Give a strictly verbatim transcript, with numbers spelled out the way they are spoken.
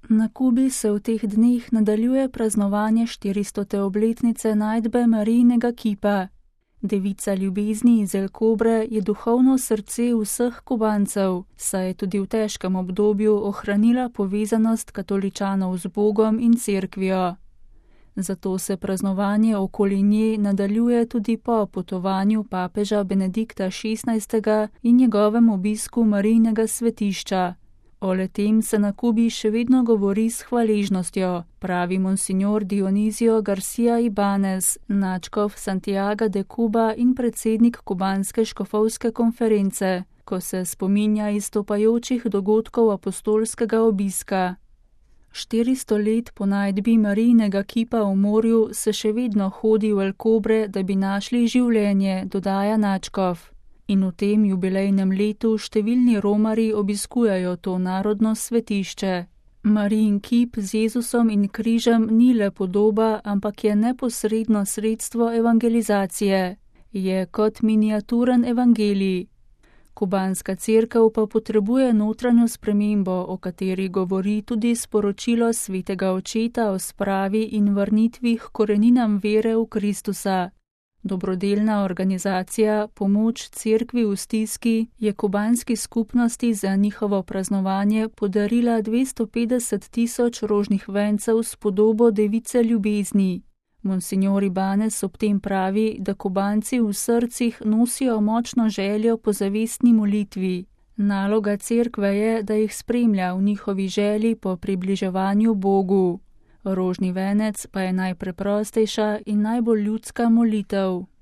Na Kubi se v teh dneh nadaljuje praznovanje štiristote obletnice najdbe Marijinega kipa. Devica ljubezni iz El Cobre je duhovno srce vseh Kubancev, saj je tudi v težkem obdobju ohranila povezanost katoličanov z Bogom in cerkvijo. Zato se praznovanje okoli nje nadaljuje tudi po potovanju papeža Benedikta šestnajstega in njegovem obisku Marijinega svetišča. O le-tem se na Kubi še vedno govori s hvaležnostjo, pravi monsignor Dionizio Garcia Ibanez, nadškof Santiaga de Cuba in predsednik kubanske škofovske konference, ko se spominja izstopajočih dogodkov apostolskega obiska. Štiristo let po najdbi Marijinega kipa v morju se še vedno hodi v El Cobre, da bi našli življenje, dodaja nadškof. In v tem jubilejnem letu številni romarji obiskujejo to narodno svetišče. Marijin kip z Jezusom in križem ni le podoba, ampak je neposredno sredstvo evangelizacije. Je kot miniaturen evangelij. Kubanska cerkev pa potrebuje notranjo spremembo, o kateri govori tudi sporočilo svetega očeta o spravi in vrnitvi k koreninam vere v Kristusa. Dobrodelna organizacija Pomoč cerkvi v stiski je kubanski skupnosti za njihovo praznovanje podarila dvesto petdeset tisoč rožnih vencev s podobo device ljubezni. Monsignor Ibanez ob tem pravi, da Kubanci v srcih nosijo močno željo po zavestni molitvi. Naloga cerkve je, da jih spremlja v njihovi želji po približevanju Bogu. Rožni venec pa je najpreprostejša in najbolj ljudska molitev.